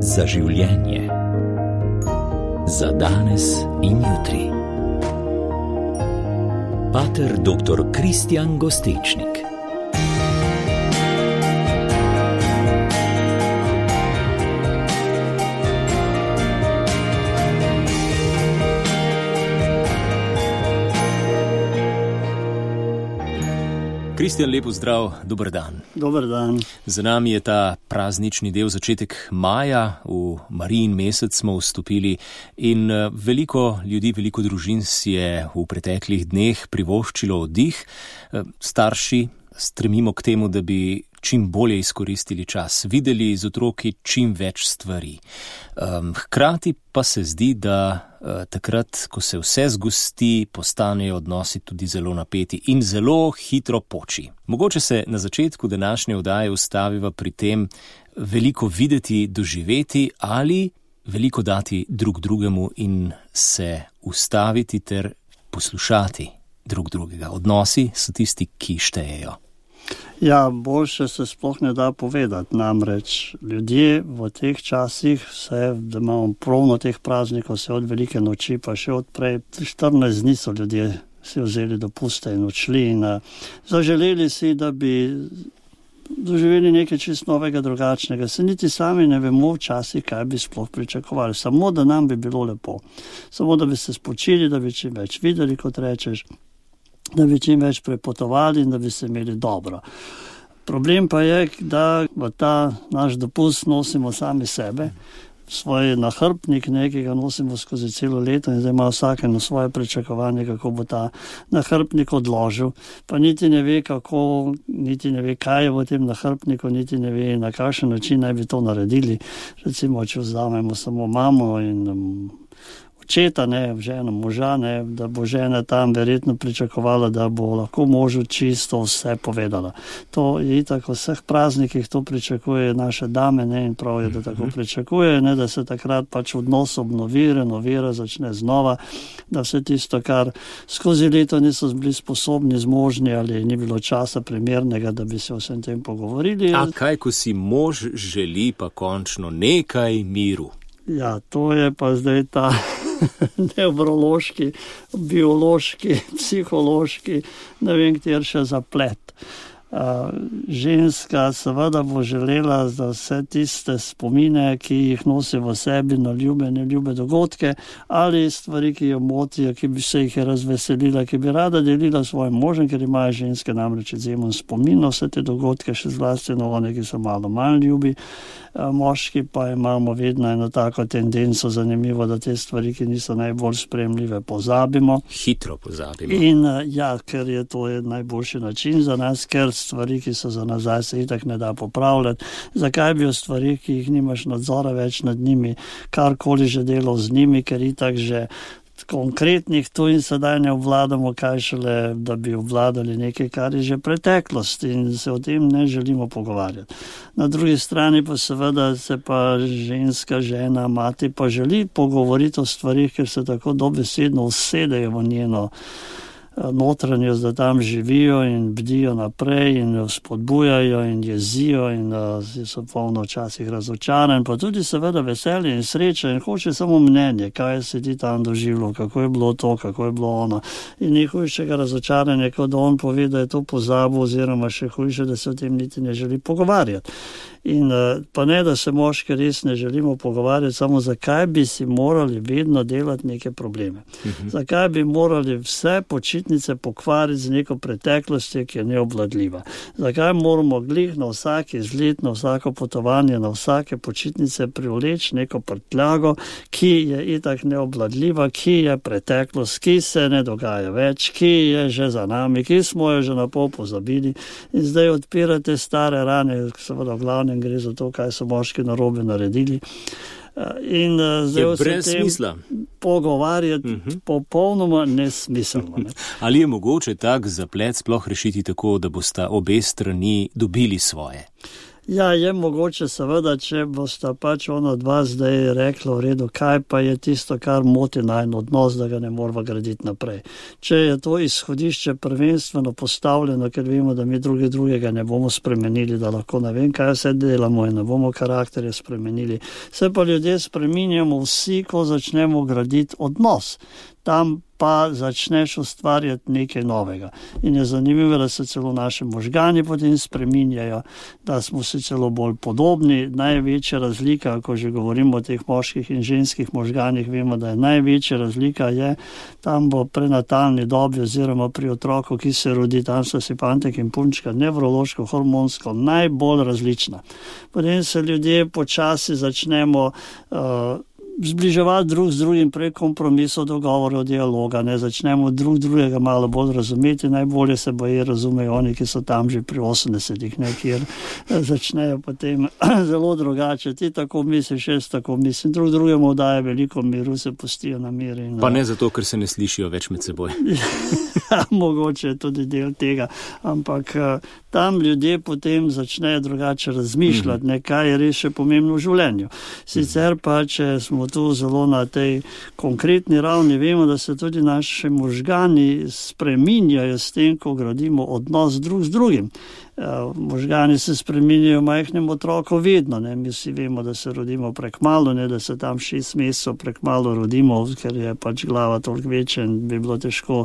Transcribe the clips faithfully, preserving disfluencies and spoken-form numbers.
Za življenje. Za danes in jutri. Pater doktor Kristjan Gostečnik. Kristjan, lepo zdrav, dober dan. Dober dan. Za nami je ta praznični del, začetek maja, v Marijin mesec smo vstopili in veliko ljudi, veliko družin si je v preteklih dneh privoščilo oddih. Starši stremimo k temu, da bi čim bolje izkoristili čas, videli z otroki čim več stvari. Hkrati pa se zdi, da takrat, ko se vse zgosti, postanejo odnosi tudi zelo napeti in zelo hitro poči. Mogoče se na začetku današnje oddaje ustaviva pri tem veliko videti, doživeti ali veliko dati drug drugemu in se ustaviti ter poslušati drug drugega. Odnosi so tisti, ki štejejo. Ja, boljše se sploh ne da povedati, namreč ljudje v teh časih, vse, da imamo pravno teh praznikov, vse od velike noči, pa še od prej, štirinajst dni so ljudje si vzeli dopuste in odšli in uh, zaželeli si, da bi doživeli nekaj čist novega, drugačnega. Se niti sami ne vemo včasih, kaj bi sploh pričakovali, samo da nam bi bilo lepo, samo da bi se spočili, da bi čim več videli, kot rečeš, da bi čim več prepotovali in da bi se imeli dobro. Problem pa je, da v ta naš dopust nosimo sami sebe, svoj nahrbnik nekega nosimo skozi celo leto in zdaj ima vsake na svoje pričakovanje, kako bo ta nahrbnik odložil, pa niti ne ve kako, niti ne ve kaj je v tem nahrbniku, niti ne ve na kakšen način naj bi to naredili. Recimo, če vzamemo samo mamo in um, očeta, ne, ženo, moža, ne, da bo žena tam verjetno pričakovala, da bo lahko možu čisto vse povedala. To je itak v vseh praznikih, to pričakuje naše dame, ne, in prav je, da tako pričakuje, ne, da se takrat pač odnos obnovi, renovira, začne znova, da vse tisto, kar skozi leto niso bili sposobni, zmožni ali ni bilo časa primernega, da bi se o vsem tem pogovorili. A kaj, ko si mož želi pa končno nekaj miru? Ja, to je pa zdaj ta nevrološki, biološki, psihološki, ne vem, kjer še zaplet. Uh, ženska seveda bo želela za vse tiste spomine, ki jih nosi v sebi na ljube, neljube dogodke ali stvari, ki jo motijo, ki bi se jih razveselila, ki bi rada delila svojim možem, ker imajo ženske namreč izjemen spomin na vse te dogodke, še zlasti na one, ki so malo manj ljubi. Uh, moški pa imamo vedno eno tako tendenco, zanimivo, da te stvari, ki niso najbolj spremljive, pozabimo. Hitro pozabimo. In uh, ja, ker je to je najboljši način za nas, ker stvari, ki so za nazaj, se itak ne da popravljati. Zakaj bi o stvari, ki jih nimaš nadzora več nad njimi, karkoli že delal z njimi, ker itak že konkretnih tu in sedaj ne obvladamo, kaj šele, da bi obvladali nekaj, kar je že preteklost in se o tem ne želimo pogovarjati. Na drugi strani pa seveda se pa ženska, žena, mati pa želi pogovoriti o stvarih, ker se tako dobesedno usedejo v njeno notranjost, da tam živijo in bdijo naprej in spodbujajo in jezijo in uh, so polno včasih razočaran, pa tudi seveda veselje in sreča in hoče samo mnenje, kaj se ti tam doživelo, kako je bilo to, kako je bilo ono. In ni hujšega razočaranja, kot da on pove, da je to pozabil oziroma še hujše, da se o tem niti ne želi pogovarjati. In pa ne, da se moški res ne želimo pogovarjati, samo zakaj bi si morali vedno delati neke probleme. Uh-huh. Zakaj bi morali vse počitnice pokvariti z neko preteklostjo, ki je neobvladljiva. Zakaj moramo glih na vsak izlet, na vsako potovanje, na vsake počitnice privleči neko prtljago, ki je itak neobvladljiva, ki je preteklost, ki se ne dogaja več, ki je že za nami, ki smo jo že na pol pozabili in zdaj odpirate stare rane, seveda v glavnem gre za to, kaj so moški narobe naredili. In zdaj se tem smisla. Pogovarjati uh-huh. popolnoma nesmiselno. Ne? Ali je mogoče tak zaplet sploh rešiti tako, da bosta obe strani dobili svoje? Ja, je mogoče seveda, če boste pač ono dva zdaj reklo v redu, kaj pa je tisto, kar moti najn odnos, da ga ne moramo graditi naprej. Če je to izhodišče prvenstveno postavljeno, ker vemo, da mi druge drugega ne bomo spremenili, da lahko ne vem, kaj vse delamo in ne bomo karakterje spremenili. Se pa ljudje spreminjamo vsi, ko začnemo graditi odnos. Tam pa začneš ustvarjati nekaj novega. In je zanimivo, da se celo naše možgani potem spreminjajo, da smo si celo bolj podobni. Največja razlika, ko že govorimo o teh moških in ženskih možganih, vemo, da je največja razlika je tam v prenatalni dobi oziroma pri otroku, ki se rodi, tam so si fantek in punčka nevrološko, hormonsko najbolj različna. Potem se ljudje počasi začnemo uh, zbliževati drug z drugim prek kompromisov, dogovorov, dialoga, ne začnemo drug drugega malo bolj razumeti, najbolje se boje razumejo oni, ki so tam že pri osemdesetih, ne, kjer začnejo potem zelo drugače. Ti tako misliš, jaz tako mislim, drug drugemu daje veliko miru, se pustijo na mir. In, pa ne zato, ker se ne slišijo več med seboj. Ja, mogoče je tudi del tega, ampak tam ljudje potem začnejo drugače razmišljati, mm-hmm. ne, kaj je res še pomembno v življenju. Sicer pa, če smo tu zelo na tej konkretni ravni, vemo, da se tudi naši možgani spreminjajo s tem, ko gradimo odnos drug z drugim. Možgani se spreminjajo majhnem otroku vedno, ne. Mi vsi vemo, da se rodimo prekmalu, ne, da se tam šest mesecev prekmalu rodimo, ker je pač glava toliko večja in bi bilo težko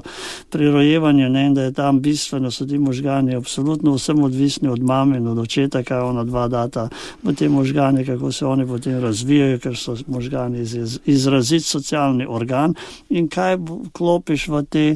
pri rojevanju, ne, in da je tam bistveno, so ti možgani absolutno vsem odvisni od mame in od očeta, kaj ona dva data v te možgani, kako se oni potem razvijajo, ker so možgani iz, izrazit socialni organ in kaj klopiš v te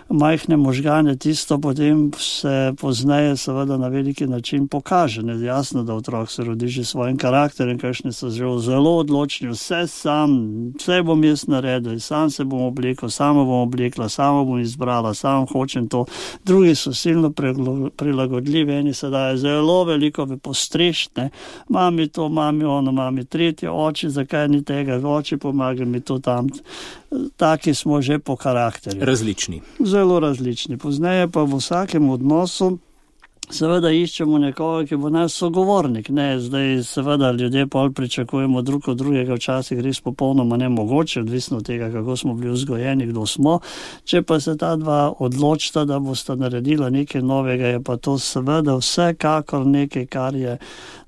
majhne možgane, tisto potem se pozneje seveda na veliki način pokaže. Ne, jasno, da otrok se rodi že svojim karakterem, kakšni so že zelo odločni, vse sam, vse bom jaz naredil, sam se bom oblekel, samo bom oblekla, samo bom izbrala, sam hočem to. Drugi so silno prilagodljivi, eni se daje zelo veliko v postrešne, mami to, mami ono, mami tretje, oči, zakaj ni tega, oči pomaga mi to tam. Taki smo že po karakterju. Različni. Zelo različni. Pozneje pa v vsakem odnosu seveda iščemo nekoga, ki bo naš sogovornik. Ne, zdaj seveda ljudje pol pričakujemo drug od drugega, včasih res popolnoma nemogoče, odvisno od tega, kako smo bili vzgojeni, kdo smo. Če pa se ta dva odločita, da bosta naredila nekaj novega, je pa to seveda vsekakor nekaj, kar je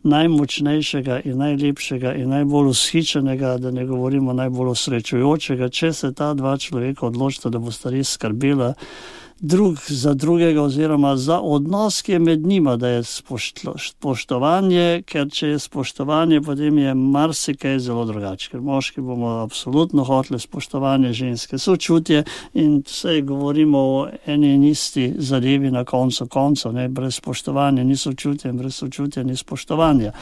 najmočnejšega in najlepšega in najbolj ushičenega, da ne govorimo najbolj osrečujočega, če se ta dva človeka odločita, da bosta res skrbela drug za drugega oziroma za odnos, ki je med njima, da je spoštovanje, ker če je spoštovanje, potem je marsikaj zelo drugače, ker moški bomo absolutno hoteli spoštovanje, ženske sočutje in vse govorimo o eni in isti zadevi na koncu koncev, ne, brez spoštovanja ni sočutja in brez sočutja ni spoštovanja,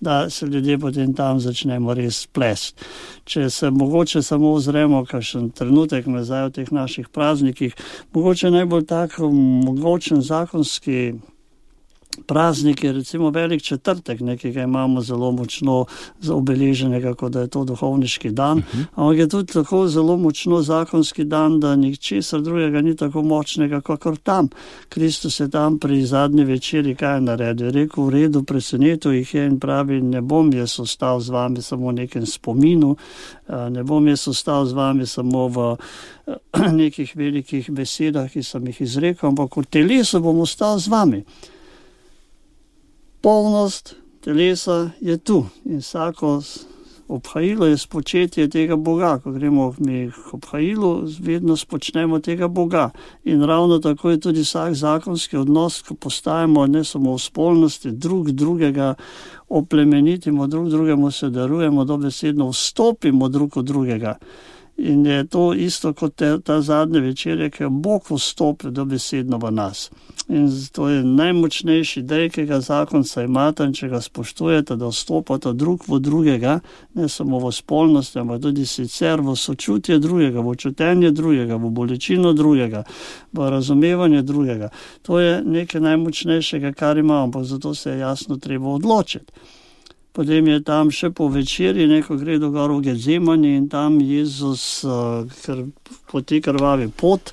da se ljudje potem tam začnemo res plesti. Če se mogoče samo ozremo kakšen trenutek nazaj v teh naših praznikih, mogoče najbolj tak mogočen zakonski praznik je recimo velik četrtek, nekega imamo zelo močno obeleženega, kot da je to duhovniški dan, uh-huh. ampak je tudi tako zelo močno zakonski dan, da ničesar drugega ni tako močnega, kakor tam. Kristus je tam pri zadnji večeri kaj naredil, rekel, v redu, presenetil jih je in pravi, ne bom jaz ostal z vami samo v nekem spominu, ne bom jaz ostal z vami samo v nekih velikih besedah, ki sem jih izrekel, ampak v telesu bom ostal z vami. Polnost telesa je tu in vsako obhajilo je spočetje tega Boga. Ko gremo mi k obhajilu, vedno spočnemo tega Boga. In ravno tako je tudi vsak zakonski odnos, ko postajamo ne samo v spolnosti, drug drugega oplemenitimo, drug drugemu se darujemo, dobesedno vstopimo drug od drugega. In je to isto kot te, ta zadnje večerje, ki je Bog vstopil dobesedno v nas. In to je najmočnejši dej, ki ga zakonca imata in če ga spoštujete, da vstopata drug v drugega, ne samo v spolnosti, ampak tudi sicer v sočutje drugega, v čutenje drugega, v bolečino drugega, v razumevanje drugega. To je nekaj najmočnejšega, kar imamo, ampak zato se je jasno treba odločiti. Potem je tam še po večeri, neko gre do gor v Gedzemani in tam Jezus, ker po te krvavi pot,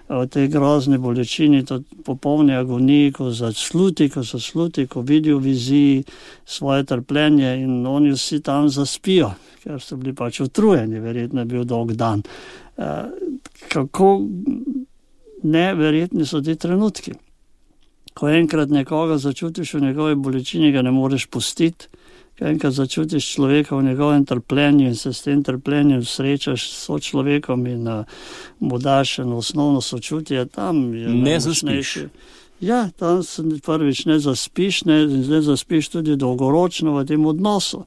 v tej grozni bolečini, to popolni agoniji, ko zasluti, ko so sluti, ko vidijo v viziji svoje trpljenje in oni vsi tam zaspijo, ker so bili pač utrujeni, verjetno je bil dolg dan. Kako neverjetni so ti trenutki. Ko enkrat nekoga začutiš v njegovi bolečini, ga ne moreš pustiti, ko enkrat začutiš človeka v njegovem trpljenju in se s tem trpljenjem srečaš s sočlovekom in mu daš eno osnovno sočutje, tam je ne zaspiš. Ja, tam se prvič ne zaspiš, ne, ne zaspiš tudi dolgoročno v tem odnosu.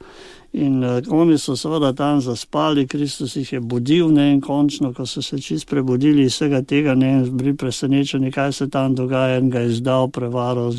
In uh, oni so seveda tam zaspali, Kristus jih je budil, ne, in končno, ko so se čist prebudili iz vsega tega, ne, in bili presenečeni, kaj se tam dogaja, in ga je izdal, prevaral,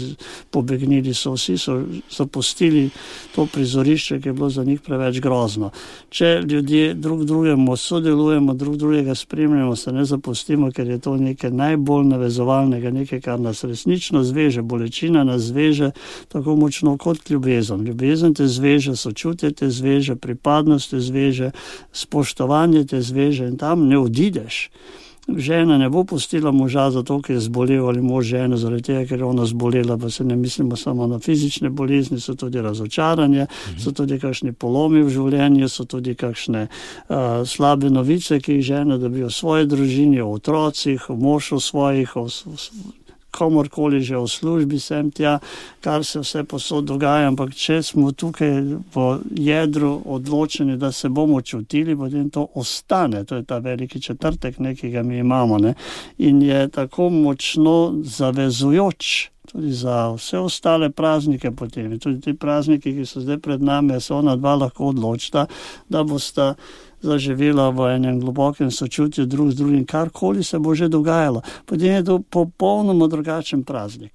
pobegnili so, vsi so zapustili to prizorišče, ki je bilo za njih preveč grozno. Če ljudje drug drugemu sodelujemo, drug drugega spremljamo, se ne zapustimo, ker je to nekaj najbolj navezovalnega, nekaj, kar nas resnično zveže, bolečina nas zveže tako močno kot ljubezen. Ljubezen te zveže, sočutje te zveže, pripadnost te zveže, spoštovanje te zveže in tam ne odideš. Žena ne bo pustila moža zato, ker je zbolel, ali mož ženo zaradi tega, ker je ona zbolela, pa se ne mislimo samo na fizične bolezni, so tudi razočaranje, mhm. so tudi kakšni polomi v življenju, so tudi kakšne uh, slabe novice, ki jih žena dobijo v svoji družini, o otrocih, o mošu svojih, o komorkoli že v službi sem tja, kar se vse posod dogaja, ampak če smo tukaj v jedru odločeni, da se bomo čutili, potem to ostane, to je ta veliki četrtek, nekega mi imamo, ne? In je tako močno zavezujoč tudi za vse ostale praznike potem. In tudi ti prazniki, ki so zdaj pred nami, se ona dva lahko odločita, da bosta zaživela v enem globokem sočutju drug z drugim, karkoli se bo že dogajalo. Potem je to popolnoma drugačen praznik.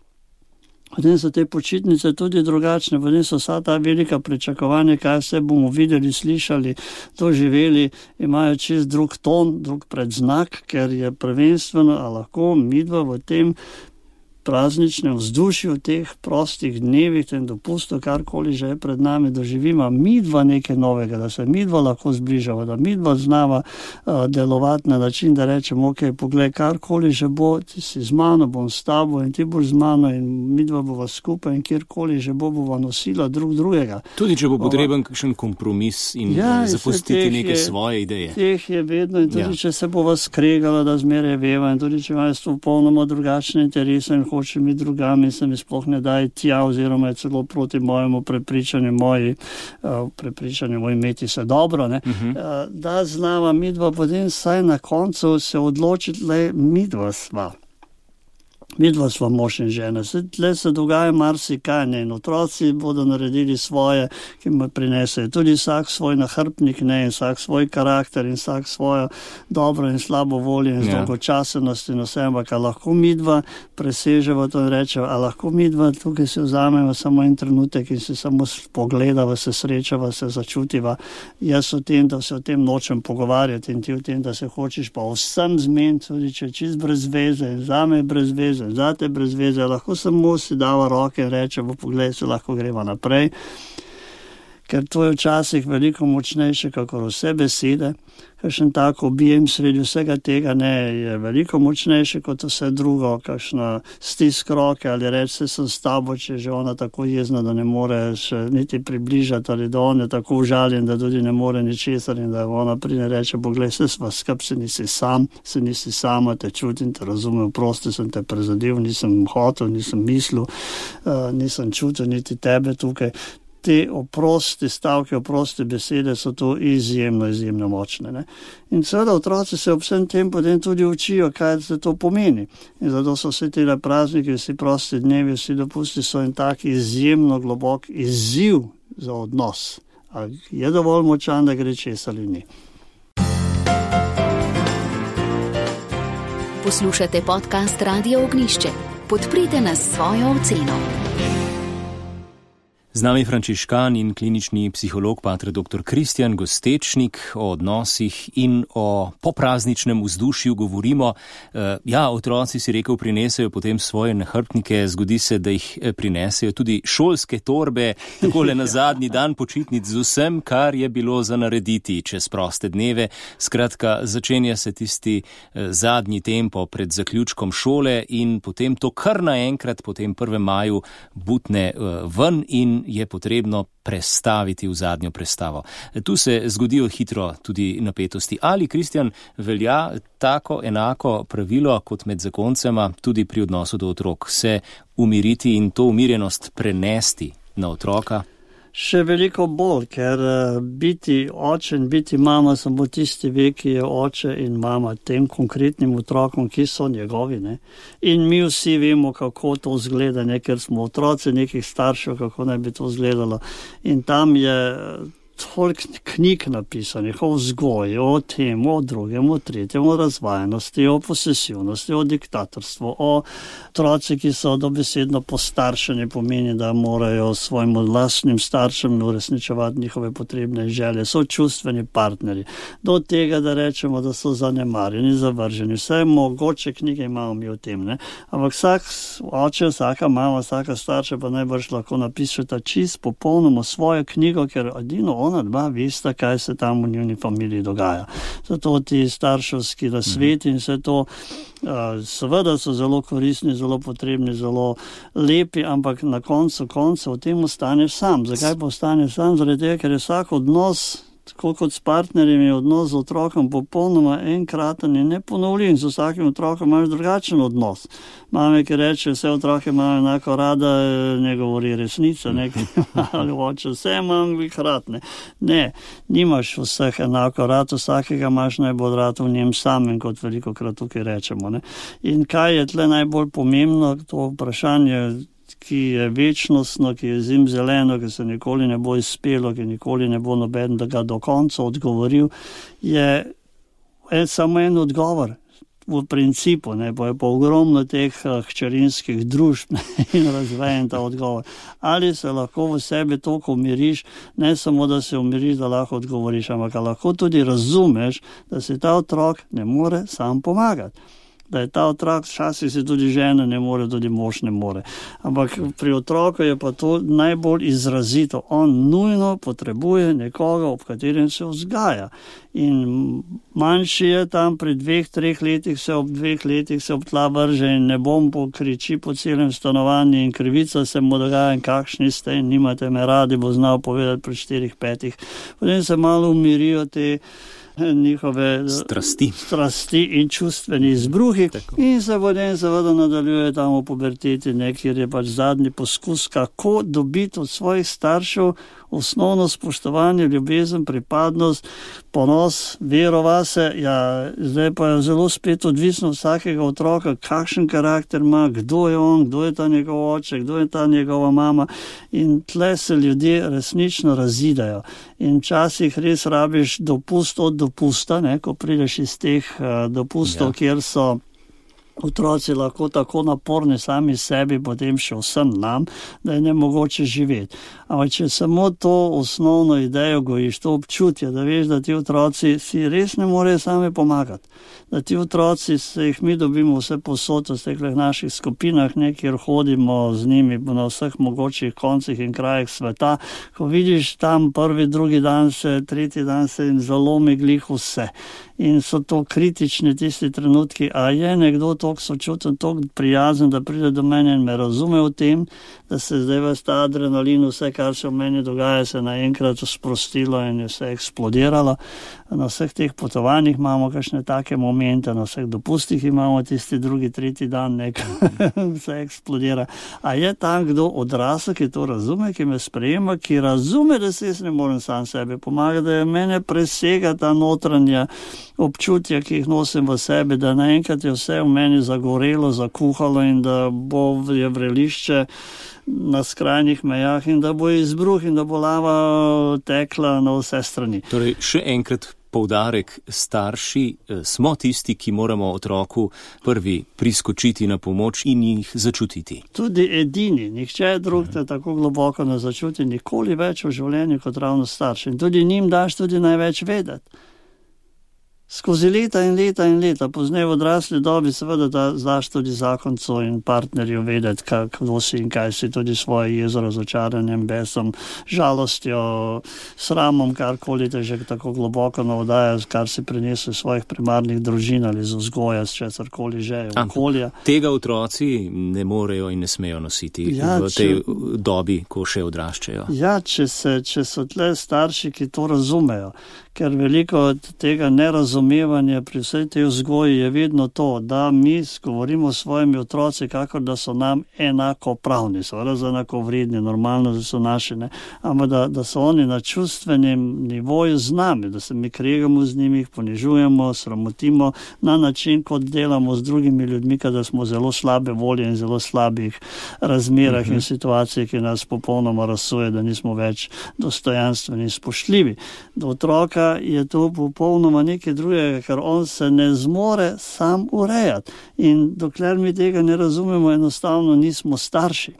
Potem so te počitnice tudi drugačne, potem so vsa ta velika pričakovanja, kaj vse bomo videli, slišali, doživeli, imajo čist drug ton, drug predznak, ker je prvenstveno, a lahko midva v tem prazničnem vzdušju, v teh prostih dnevih, tem dopustu, karkoli že je pred nami, doživimo midva nekaj novega, da se midva lahko zbližava, da midva znava uh, delovati na način, da rečemo, ok, poglej, karkoli že bo, ti si z mano, bom s tabo in ti boš z mano in midva bova skupaj in kjerkoli že bo, bova nosila drug drugega. Tudi če bo potreben kakšen kompromis in ja, zapustiti neke je, svoje ideje. Teh je vedno in tudi ja. Če se bova skregala, da zmeraj veva in tudi če imajo s to popolnoma drugačne interese in hoče mi drugami, se mi sploh ne daje tja, oziroma je celo proti mojemu prepričanju, moji uh, prepričanju, moj imeti se dobro, ne? Uh-huh. Uh, da znava midva, potem saj na koncu se odločiti, le midva sva. Midva sva mož in žena. Tle se dogaja marsikaj, ne, in otroci bodo naredili svoje, ki mu prinesejo. Tudi vsak svoj nahrbnik, ne, in vsak svoj karakter in vsak svojo dobro in slabo voljo in ja. Dolgočasenost in vse, ampak lahko midva preseževa to in rečeva, a lahko midva tukaj se vzameva samo en trenutek in se samo pogledava, se srečava, se začutiva. Jaz o tem, da se o tem nočem pogovarjati in ti o tem, da se hočeš pa vsem zmeniti, tudi če čist brez veze in zame brez veze, zate brez veze, lahko samo si dava roke in reče, v pogled se lahko greva naprej, ker to je včasih veliko močnejše, kakor vse besede. Kakšen tak objem sredi vsega tega ne je veliko močnejše kot vse drugo, kakšna stisk roke ali reči se sem s tabo, če že ona tako jezna, da ne more še niti približati ali da on je tako užaljen, da tudi ne more ničesar in da ona pride reče, poglej, se sva skup, se nisi sam, se nisi sama, te čutim, te razumem, prosti sem te prezadil, nisem hotel, nisem mislil, uh, nisem čutil niti tebe tukaj. Te oprosti stavke, oprosti besede so to izjemno, izjemno močne. Ne? In seveda otroci se ob vsem tem potem tudi učijo, kaj se to pomeni. In zato so vse tele prazniki, vsi prosti dnevi, vsi dopusti so en tak izjemno globok izziv za odnos. A je dovolj močan, da gre čez ali ni. Poslušate podcast Radio Ognjišče. Podprite nas svojo oceno. Z nami frančiškan in klinični psiholog pater doktor Kristjan Gostečnik. O odnosih in o poprazničnem vzdušju govorimo. Ja, otroci, si rekel, prinesejo potem svoje nahrbtnike, zgodi se, da jih prinesejo tudi šolske torbe, takole na zadnji dan počitnic z vsem, kar je bilo za narediti čez proste dneve. Skratka, začenja se tisti zadnji tempo pred zaključkom šole in potem to kar naenkrat po tem prvem maju butne ven in je potrebno prestaviti v zadnjo prestavo. Tu se zgodijo hitro tudi napetosti. Ali, Kristjan, velja tako enako pravilo kot med zakoncema tudi pri odnosu do otrok, se umiriti in to umirjenost prenesti na otroka? Še veliko bolj, ker biti oče in biti mama samo tisti ve, ki je oče in mama tem konkretnim otrokom, ki so njegovi. Ne? In mi vsi vemo, kako to izgleda, ne? Ker smo otroci nekih staršev, kako naj bi to izgledalo. In tam je toliko knjig napisanih o vzgoji, o tem, o drugem, o tretjem, o razvajenosti, o posesivnosti, o diktatorstvu, o otroci, ki so dobesedno postaršeni, pomeni, da morajo svojim vlastnim staršem uresničevati njihove potrebne želje, so čustveni partnerji. Do tega, da rečemo, da so zanemarjeni, zavrženi. Vse mogoče knjige imamo mi o tem. Ne? Ampak vsak oče, vsaka mama, vsaka starša pa najbrž lahko napišeta čist popolnoma svojo knjigo, ker edino ona dva veste, kaj se tam v njuni familiji dogaja. Zato ti starševski nasveti in vse to seveda so zelo koristni, zelo potrebni, zelo lepi, ampak na koncu konca v tem ostaneš sam. Zakaj pa ostaneš sam? Zaradi tega, ker je vsak odnos, tako kot s partnerjem, je odnos z otrokom popolnoma enkraten in neponovljiv. Z vsakim otrokom imaš drugačen odnos. Mame, ki reče, vse otroke imajo enako rada, ne govori resnica, nekaj ali oče, vse imam jih rad. Ne. ne, nimaš vseh enako rad, vsakega imaš najbolj rad v njem samem, kot veliko krat tukaj rečemo. Ne. In kaj je tle najbolj pomembno, to vprašanje, ki je večnostno, ki je zimzeleno, ki se nikoli ne bo izpelo, ki nikoli ne bo noben, da ga do konca odgovoril, je en, samo en odgovor. V principu, ne, bo je pa ogromno teh hčerinskih družb in razvejen ta odgovor. Ali se lahko v sebi toliko umiriš, ne samo, da se umiriš, da lahko odgovoriš, ampak lahko tudi razumeš, da se ta otrok ne more sam pomagati. Da je ta otrok, včasih se tudi žena ne more, tudi mož ne more. Ampak pri otroku je pa to najbolj izrazito. On nujno potrebuje nekoga, ob katerem se vzgaja. In manjši je tam pri dveh, treh letih, se ob dveh letih se ob tla vrže in ne bom pokriči po celem stanovanju in krivica se mu dogaja in kakšni ste in nimate me radi, bo znal povedati pri štirih, petih. Potem se malo umirijo te njihove strasti, strasti in čustveni izbruhi. Tako. In se potem seveda nadaljuje tam v puberteti, kjer je pač zadnji poskus, kako dobiti od svojih staršev osnovno spoštovanje, ljubezen, pripadnost, ponos, vero vase. Ja, zdaj pa je zelo spet odvisno vsakega otroka, kakšen karakter ima, kdo je on, kdo je ta njegov oče, kdo je ta njegova mama. In tle se ljudje resnično razidajo. In včasih res rabiš dopust od dopusta, ne, ko prideš iz teh uh, dopustov, ja. Kjer so otroci lahko tako naporni sami sebi, potem še vsem nam, da je nemogoče živeti. Ampak če samo to osnovno idejo gojiš, to občutje, da veš, da ti otroci si res ne morejo sami pomagati. Da ti otroci, se jih mi dobimo vse posod v teh naših skupinah, ne, kjer hodimo z njimi na vseh mogočih koncih in krajih sveta. Ko vidiš tam prvi, drugi dan se, tretji dan se jim zalomi glih vse. In so to kritični tisti trenutki, a je nekdo toliko sočuten, toliko prijazen, da pride do mene in me razume v tem, da se zdaj ves ta adrenalin, vse, kar se v meni dogaja, se naenkrat sprostilo in je vse eksplodiralo. Na vseh teh potovanjih imamo kakšne take momente, na vseh dopustih imamo tisti drugi, tretji dan, nekaj vse eksplodira. A je tam kdo odrasel, ki to razume, ki me sprejema, ki razume, da se jaz ne morem sam sebi pomagati, da je mene presega ta notranja občutja, ki jih nosim v sebi, da naenkrat je vse v meni zagorelo, zakuhalo in da bo je vrelišče na skrajnih mejah in da bo izbruh in da bo lava tekla na vse strani. Torej, še enkrat poudarek starši, smo tisti, ki moramo otroku prvi priskočiti na pomoč in jih začutiti. Tudi edini, nihče drug te tako globoko ne začuti nikoli več v življenju kot ravno starši. In tudi njim daš tudi največ vedeti. Skozi leta in leta in leta, pozneje v odrasli dobi, seveda da znaš tudi zakoncu in partnerju vedeti, kako si in kaj si, tudi svoje jezo, razočaranjem, besom, žalostjo, sramom, karkoli te že tako globoko navdaja, kar si prinesel iz svojih primarnih družin ali iz vzgoja, s česarkoli že, okolja. Tega otroci ne morejo in ne smejo nositi ja, v tej če, dobi, ko še odraščajo. Ja, če, se, če so tle starši, ki to razumejo, ker veliko od tega nerazumevanja pri vsej tej vzgoji je vedno to, da mi govorimo s svojimi otroci, kakor da so nam enako pravni, so enako vredni, normalno, da so naši, ne? Ampak da, da so oni na čustvenem nivoju z nami, da se mi kregamo z njimi, jih ponižujemo, sramotimo na način, kot delamo z drugimi ljudmi, kada smo zelo slabe volje in zelo slabih razmerah uh-huh. in situacij, ki nas popolnoma razsuje, da nismo več dostojanstveni in spoštljivi. Do otroka je to popolnoma nekaj drugega, ker on se ne zmore sam urejati. In dokler mi tega ne razumemo, enostavno nismo starši.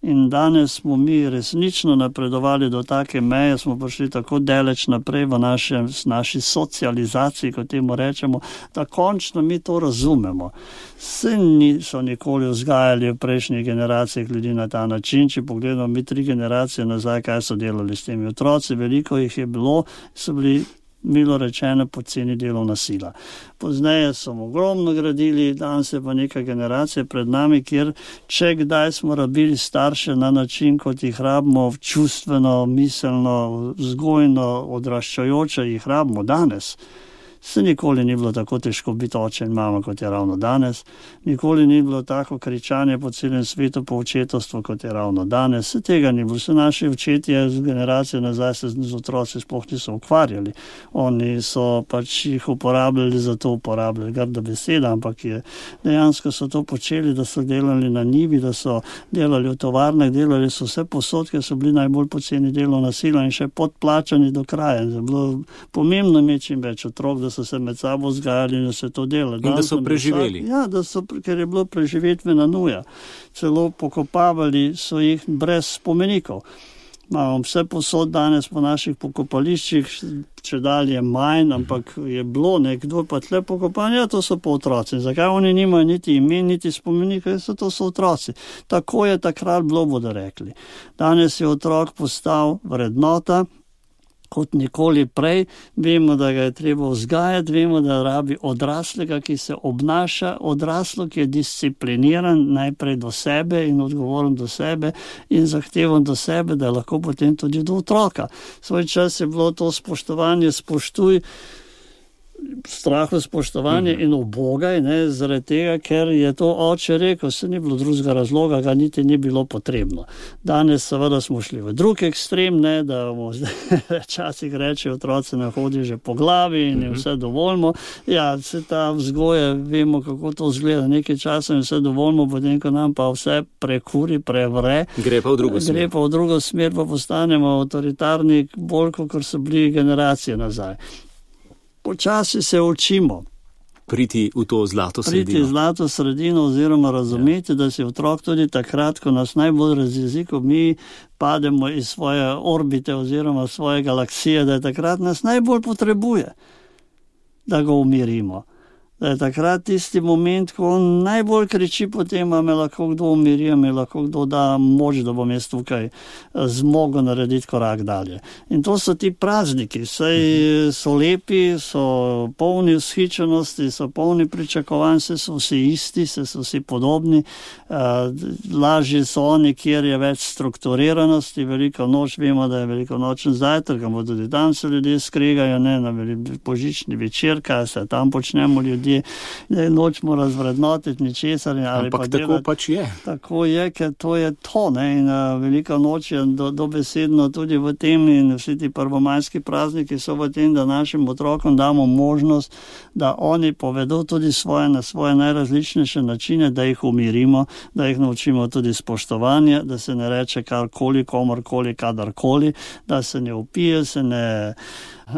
In danes smo mi resnično napredovali do take meje, smo prišli tako daleč naprej v našem, naši socializaciji, kot temu rečemo, da končno mi to razumemo. Se niso nikoli vzgajali v prejšnjih generacijah ljudi na ta način, če pogledamo mi tri generacije nazaj, kaj so delali s temi otroci, veliko jih je bilo, so bili milo rečeno poceni delovna sila. Pozneje so ogromno gradili, danes je pa neka generacija pred nami, kjer če kdaj smo rabili starše na način, kot jih rabimo čustveno, miselno, vzgojno, odraščajoče, jih rabimo danes. Se nikoli ni bilo tako težko biti oče in mama, kot je ravno danes. Nikoli ni bilo tako kričanje po celem svetu po očetovstvu, kot je ravno danes. Se tega ni bilo. Se naši očetje z generacijo nazaj se z otroci sploh niso ukvarjali. Oni so pač jih uporabljali, za to uporabljali grda beseda, ampak je, dejansko so to počeli, da so delali na njivi, da so delali v tovarnah, delali so vse posod, ker so bili najbolj poceni delovna sila in še podplačani do kraja. Je bilo pomembno imeti čim več otrok, da so se med sabo vzgajali in da se to delali. In da so preživeli. Ja, da so, ker je bilo preživetvena nuja. Celo pokopavali so jih brez spomenikov. Imamo vse posod danes po naših pokopališčih, če dalje manj, ampak je bilo nekdo pa tle pokopan, ja, to so pa otroci. Zakaj oni nimajo niti imen, niti spomenikov, so to so otroci. Tako je takrat bilo, bodo rekli. Danes je otrok postal vrednota, kot nikoli prej, vemo, da ga je treba vzgajati, vemo, da rabi odraslega, ki se obnaša, odraslo, ki je discipliniran najprej do sebe in odgovoren do sebe in zahteven do sebe, da je lahko potem tudi do otroka. Svoj čas je bilo to spoštovanje, spoštuj, strahu spoštovanje in ubogaj, ne, zaradi tega, ker je to oče rekel, se ni bilo drugega razloga, ga niti ni bilo potrebno. Danes seveda smo šli v drug ekstrem, ne, da včasih reče otroci ne hodi že po glavi in je vse dovoljmo. Ja, se ta vzgoje, vemo, kako to izgleda, nekaj časa in vse dovoljmo, potem, ko nam pa vse prekuri, prevre. Gre pa v drugo smer. Gre pa v drugo smer, pa postanemo avtoritarni bolj, kot so bili generacije nazaj. Počasi se učimo. Priti v to zlato sredino. Priti v zlato sredino oziroma razumeti, ja. Da si otrok tudi takrat, ko nas najbolj razjezi, ko mi pademo iz svoje orbite oziroma svoje galaksije, da je takrat nas najbolj potrebuje, da ga umirimo. Da je takrat tisti moment, ko on najbolj kriči po tem, a me lahko kdo umiri, a me lahko kdo da moč, da bom jaz tukaj zmogel narediti korak dalje. In to so ti prazniki, saj so lepi, so polni vzhičenosti, so polni pričakovanj, se so vsi isti, se so vsi podobni, lažje so oni, kjer je več strukturiranosti, veliko noč, vemo, da je veliko nočen zajtrk, ampak tudi tam se ljudje skregajo, ne, na božični večer, kaj se tam počnemo ljudje, da nočemo razvrednotiti ničesar. Ampak tako delati. Pač je. Tako je, ker to je to, ne, in uh, velika noč je do, dobesedno tudi v tem in vsi ti prvomajski prazniki so v tem, da našim otrokom damo možnost, da oni povedo tudi svoje na svoje najrazličnejše načine, da jih umirimo, da jih naučimo tudi spoštovanje, da se ne reče karkoli, komorkoli, kadarkoli, da se ne upije, se ne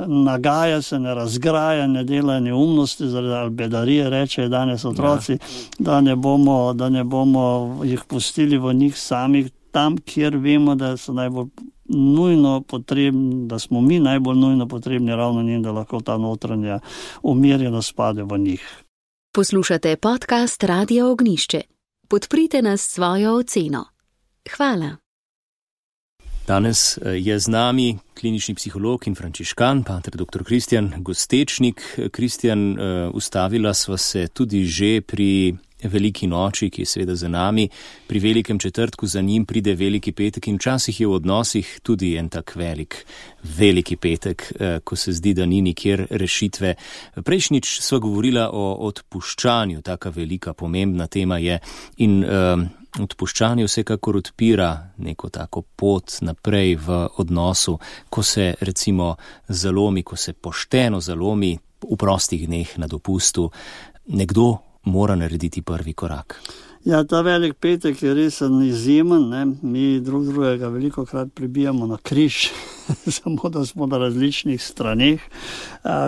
nagaja se, ne razgraja, ne dela neumnosti, zaradi bedarije, reče danes otroci, ja. da, ne bomo, da ne bomo jih pustili v njih samih, tam, kjer vemo, da so najbolj nujno potrebni, da smo mi najbolj nujno potrebni ravno njim, da lahko ta notranja umirjenost pade v njih. Poslušate podcast Radia Ognišče. Podprite nas s svojo oceno. Hvala. Danes je z nami klinični psiholog in frančiškan, pater doktor Kristjan Gostečnik. Kristjan, ustavila sva se tudi že pri veliki noči, ki je seveda za nami, pri velikem četrtku, za njim pride veliki petek in včasih je v odnosih tudi en tak velik, veliki petek, ko se zdi, da ni nikjer rešitve. Prejšnjič sva govorila o odpuščanju, taka velika, pomembna tema je in uh, odpuščanje vsekakor odpira neko tako pot naprej v odnosu, ko se recimo zalomi, ko se pošteno zalomi v prostih dneh na dopustu, nekdo mora narediti prvi korak. Ja, ta velik petek je res izjemen, ne? Mi drug drugega veliko krat pribijamo na križ, samo da smo na različnih straneh.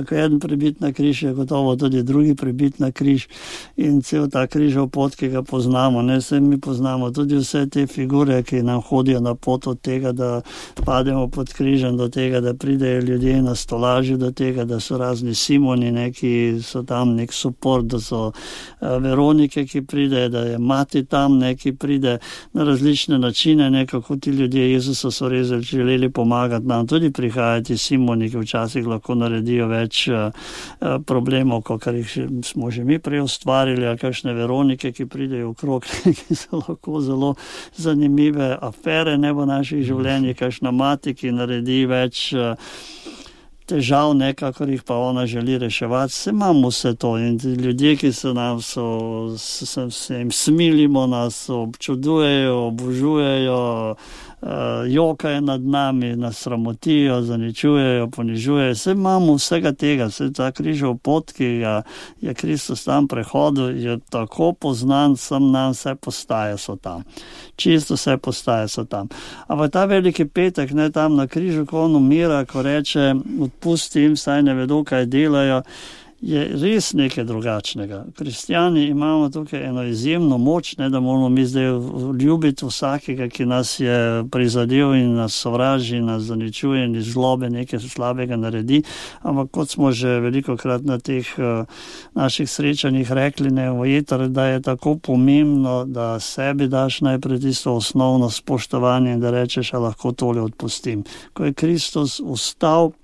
Ko eden pribit na križ, je gotovo tudi drugi pribit na križ in cel ta križov pot, ki ga poznamo. Ne, se mi poznamo tudi vse te figure, ki nam hodijo na pot od tega, da pademo pod križem, do tega, da pridejo ljudje na stolaži, do tega, da so razni Simoni, ne, ki so tam nek suport, da so Veronike, ki pridejo, da je mati tam, ne, ki pride na različne načine, ne, kako ti ljudje Jezusa so res želeli pomagati nam. Tudi prihajati Simoni, ki včasih lahko naredijo več uh, problemov, kot jih smo že mi prej ustvarili, ali kakšne Veronike, ki pridejo okrog, ki so lahko zelo zanimive afere ne v naših življenjih, kakšna mati, ki naredi več uh, težav, nekakor jih pa ona želi reševati. Se imamo vse to in ljudje, ki se nam so, se, se jim smilimo, nas občudujejo, obožujejo, uh, jokajo nad nami, nas sramotijo, zaničujejo, ponižujejo. Se imamo vsega tega, vse ta križov pot, ki ga je Kristus tam prehodil, je tako poznan, sem nam vse postaje so tam. Čisto vse postaje so tam. Ampak ta veliki petek, ne, tam na križu, ko on umira, ko reče, odpustim, saj ne vedo, kaj delajo, je res nekaj drugačnega. Kristjani imamo tukaj eno izjemno moč, ne, da moramo mi zdaj ljubiti vsakega, ki nas je prizadel in nas sovraži, nas zaničuje in iz zlobe nekaj slabega naredi, ampak kot smo že velikokrat na teh uh, naših srečanjih rekli, ne, vojetar, da je tako pomembno, da sebi daš najprej tisto osnovno spoštovanje in da rečeš, a lahko tole odpustim. Ko je Kristus vstal,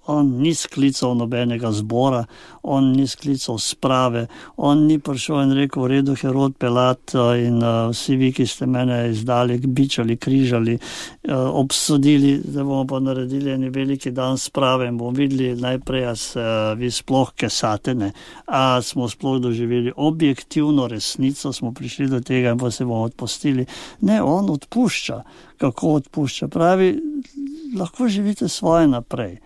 on ni sklical nobenega zbora, on ni sklical sprave, on ni prišel in rekel, v redu, Herod, Pilat in uh, vsi vi, ki ste mene izdali, bičali, križali, uh, obsodili, da bomo pa naredili en veliki dan sprave in bomo videli najprej, a se uh, vi sploh kesate, ne, a smo sploh doživeli objektivno resnico, smo prišli do tega in pa se bomo odpustili. Ne, on odpušča. Kako odpušča? Pravi, lahko živite svoje naprej.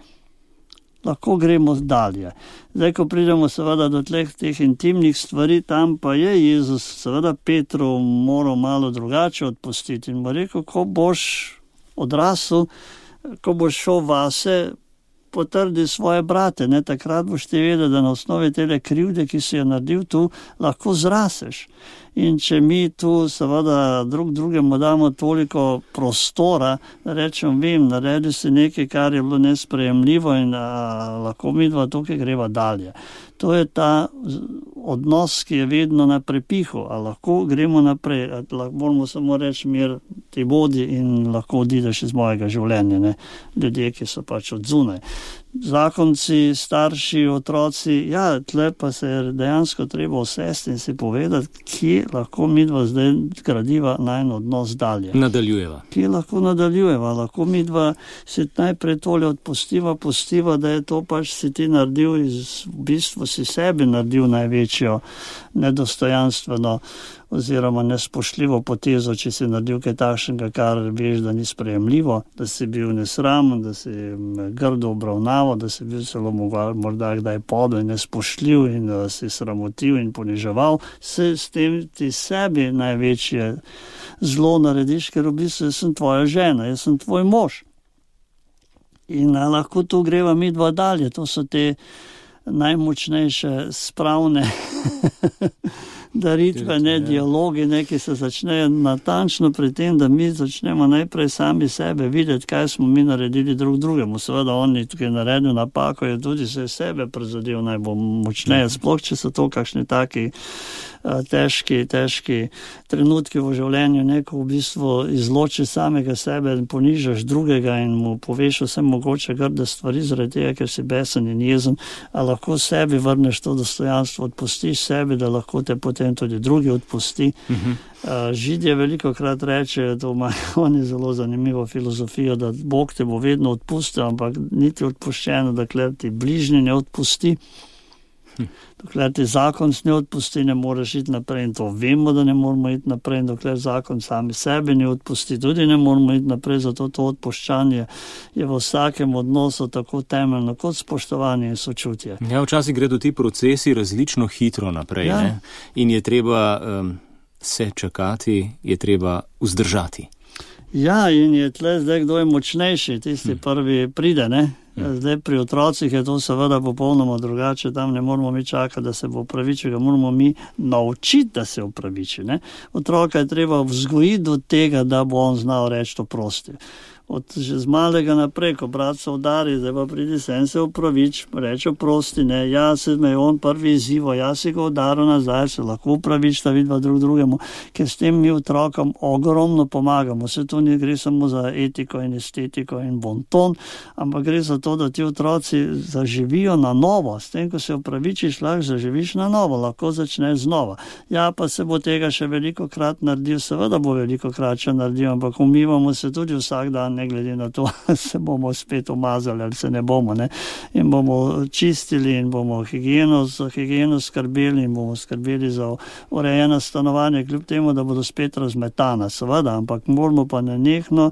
Lahko gremo dalje. Zdaj, ko pridemo seveda do tleh teh intimnih stvari, tam pa je Jezus seveda Petru moral malo drugače odpustiti in mu rekel, ko boš odrasel, ko boš šel vase, potrdi svoje brate, ne, takrat boš ti vedel, da na osnovi tele krivde, ki si jo naredil tu, lahko zraseš. In če mi tu seveda drug drugemu damo toliko prostora, da rečem, vem, naredi si nekaj, kar je bilo nesprejemljivo in a, lahko mi dva tukaj greva dalje. To je ta odnos, ki je vedno na prepihu, a lahko gremo naprej, a lahko moramo samo reči, mir ti bodi in lahko odideš iz mojega življenja, ne, ljudje, ki so pač od zunaj. Zakonci, starši, otroci, ja, tle pa se je dejansko treba usesti in si povedati, kje lahko midva zdaj gradiva najn odnos dalje. Nadaljujeva. Kje lahko nadaljujeva, lahko midva si najprej tole odpustiva, pustiva, da je to pač si ti naredil, iz, v bistvu si sebi naredil največjo nedostojanstveno oziroma nespoštljivo potezo, če si naredil kaj takšnega, kar veš, da ni sprejemljivo, da si bil nesramen, da si grdo obravnaval, da si bil celo morda kdaj podel in nespoštljiv in da si sramotil in poniževal, se s tem ti sebi največje zlo narediš, ker v bistvu jaz sem tvoja žena, jaz sem tvoj mož. In lahko tu greva mi dva dalje, to so te najmočnejše spravne daritve, ne, dialogi, neki se začnejo natančno pri tem, da mi začnemo najprej sami sebe videti, kaj smo mi naredili drug drugemu. Seveda on je tukaj naredil napako, je tudi se sebe prizadel najbolj močneje, sploh če so to kakšni taki težki, težki trenutki v življenju, neko v bistvu izloči samega sebe in ponižaš drugega in mu poveš vse mogoče grde stvari zaradi tega, ker si besen in jezen, a lahko sebi vrneš to dostojanstvo, odpustiš sebi, da lahko te potem tudi drugi odpusti. Uh-huh. Židje veliko krat rečejo, to ima oni zelo zanimivo filozofijo, da Bog te bo vedno odpustil, ampak niti odpuščeno, dokler ti bližnji ne odpusti. Dokler ti zakon ne odpusti, ne moreš iti naprej in to vemo, da ne moramo iti naprej, in dokler zakon sami sebi ne odpusti, tudi ne moramo iti naprej, zato to odpuščanje je v vsakem odnosu tako temeljno kot spoštovanje in sočutje. Ja, včasih gredo ti procesi različno hitro naprej, ja. Ne? In je treba um, se čakati, je treba vzdržati. Ja, in je tle zdaj, kdo je močnejši, tisti hm. prvi pride, ne? Zdaj pri otrocih je to seveda popolnoma drugače, tam ne moramo mi čakati, da se bo opravičil, ga moramo mi naučiti, da se opraviči. Ne? Otroka je treba vzgojiti do tega, da bo on znal reči to prosti. Od že z malega naprej, ko brat se udari, zdaj pa pridi sem se opravič, reče prosti, ne, ja se me je on prvi izzivo, ja si ga udaril nazaj, se lahko opravič, da vidva drug drugemu, ker s tem mi otrokom ogromno pomagamo. Se to ne gre samo za etiko in estetiko in bonton, ampak gre za to, da ti otroci zaživijo na novo. S tem, ko se opravičiš, lahko zaživiš na novo, lahko začneš znova. Ja, pa se bo tega še veliko krat naredil, seveda bo veliko krat še naredil, ampak umivamo se tudi vsak dan, ne glede na to, se bomo spet umazali ali se ne bomo, ne. In bomo čistili in bomo higieno, za higieno skrbeli in bomo skrbeli za urejeno stanovanje, kljub temu, da bodo spet razmetana, seveda, ampak moramo pa nenehno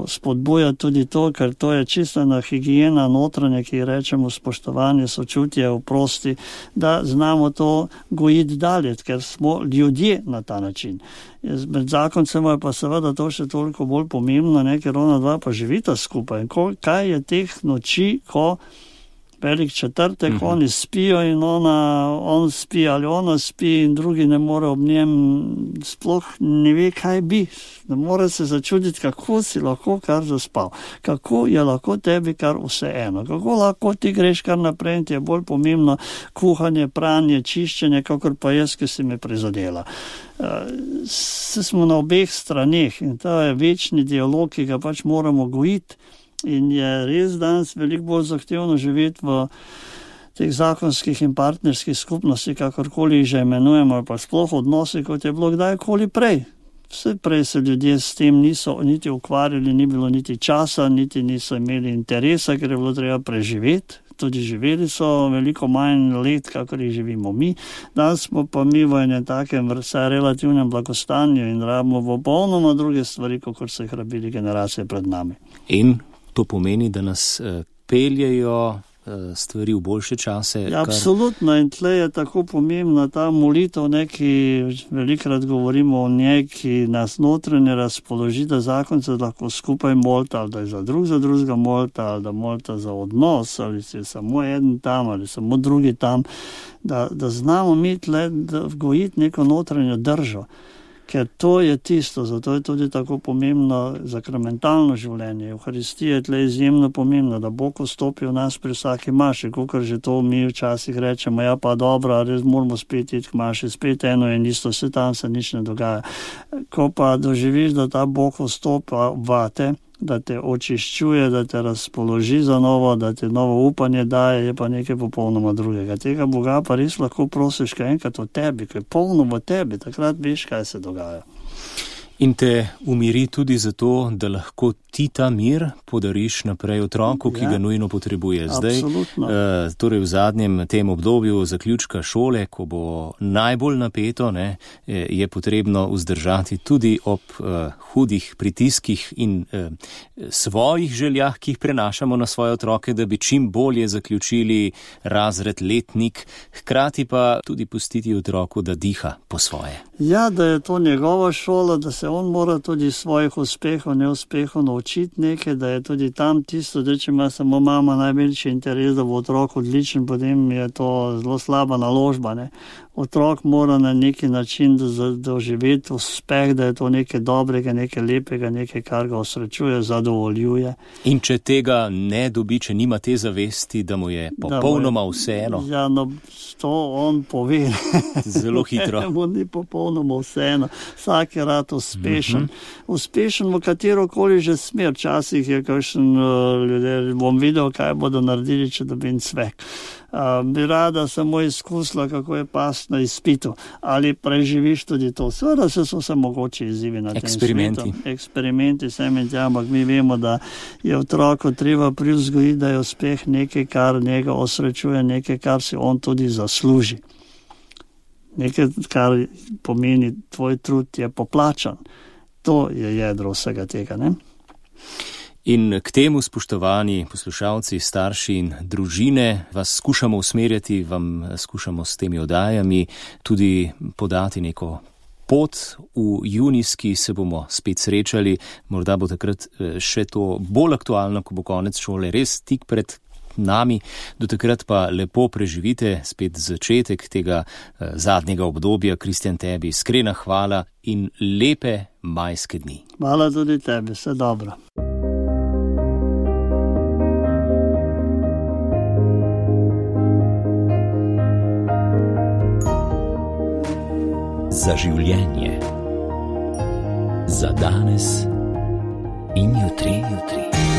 spodbujati tudi to, ker to je čisto ena higiena notranja, ki rečemo spoštovanje, sočutje, oprosti, da znamo to gojiti dalje, ker smo ljudje na ta način. Med zakoncema je pa seveda to še toliko bolj pomembno, ne, ker ona dva pa živita skupaj. Ko, kaj je teh noči, ko velik četrtek, mm-hmm. oni spijo in ona, on spi ali ona spi in drugi ne more ob njem, sploh ne ve, kaj bi. Ne more se začuditi, kako si lahko kar zaspal. Kako je lahko tebi kar vse eno. Kako lahko ti greš kar naprej in ti je bolj pomembno kuhanje, pranje, čiščenje, kakor pa jaz, ki si me prizadela. Se smo na obeh straneh in to je večni dialog, ki ga pač moramo gojiti. In je res danes veliko bolj zahtevno živeti v teh zakonskih in partnerskih skupnosti, kakorkoli jih že imenujemo, ali pa sploh odnosi, kot je bilo kdajkoli prej. Vse prej se ljudje s tem niso niti ukvarjali, ni bilo niti časa, niti niso imeli interesa, ker je bilo treba preživeti. Tudi živeli so veliko manj let, kakor jih živimo mi. Danes smo pa mi v enem takem vsaj relativnem blagostanju in rabimo popolnoma druge stvari, kot so jih rabili generacije pred nami. In to pomeni, da nas uh, peljejo uh, stvari v boljše čase. Ja, kar... Absolutno, in tle je tako pomembna ta molitev, neki velikrat govorimo o njej, ki nas notranje razpoloži, da zakonce lahko skupaj molita, ali da je za drug za drugega molita, ali da molita za odnos, ali se je samo eden tam, ali samo drugi tam, da, da znamo mi tle vgojiti neko notranjo držo. Ker to je tisto, zato je tudi tako pomembno zakramentalno življenje. Evharistija je tle izjemno pomembna, da Bog vstopi v nas pri vsaki maši, kakor že to mi včasih rečemo, ja pa dobro, res moramo spet iti k maši, spet eno in isto, vse tam se nič ne dogaja. Ko pa doživiš, da ta Bog vstopa vate, da te očiščuje, da te razpoloži za novo, da te novo upanje daje, je pa nekaj popolnoma drugega. Tega Boga pa res lahko prosiš kaj enkrat o tebi, kaj je polno v tebi, takrat veš, kaj se dogaja. In te umiri tudi zato, da lahko ti ta mir podariš naprej otroku, ki ja, ga nujno potrebuje. Zdaj, uh, torej v zadnjem tem obdobju zaključka šole, ko bo najbolj napeto, ne, je potrebno vzdržati tudi ob uh, hudih pritiskih in uh, svojih željah, ki jih prenašamo na svoje otroke, da bi čim bolje zaključili razred, letnik, hkrati pa tudi pustiti otroku, da diha po svoje. Ja, da je to njegova šola, da se on mora tudi svojih uspehov, neuspehov naučiti nekaj, da je tudi tam tisto, da če ima samo mama največji interes, da bo otrok odličen, potem je to zelo slaba naložba, ne. Otrok mora na neki način doživeti uspeh, da je to nekaj dobrega, nekaj lepega, nekaj, kar ga osrečuje, zadovoljuje. In če tega ne dobi, če nima te zavesti, da mu je popolnoma vseeno? Ja, no, to on pove. Zelo hitro. Mu ni popolnoma vseeno. Vsak je rad uspešen. Mm-hmm. Uspešen v katerokoli že smer. Včasih je kakšen uh, ljudje, bom videl, kaj bodo naredili, če dobim cvek. Uh, bi rada samo izkusila, kako je past na izpitu. Ali preživiš tudi to? Seveda se so se mogoče izzivi na tem Eksperimenti. svetu. Eksperimenti. Sem in tja, ampak mi vemo, da je otroko treba privzgojiti, da je uspeh nekaj, kar njega osrečuje, nekaj, kar si on tudi zasluži. Nekaj, kar pomeni, tvoj trud je poplačan. To je jedro vsega tega, ne? In k temu, spoštovani poslušalci, starši in družine, vas skušamo usmerjati, vam skušamo s temi oddajami tudi podati neko pot. V junijski se bomo spet srečali, morda bo takrat še to bolj aktualno, ko bo konec šole res tik pred nami. Do takrat pa lepo preživite spet začetek tega eh, zadnjega obdobja. Kristjan, tebi iskrena hvala in lepe majske dni. Hvala tudi tebi, vse dobro. Za življenje. Za danes in jutri, jutri.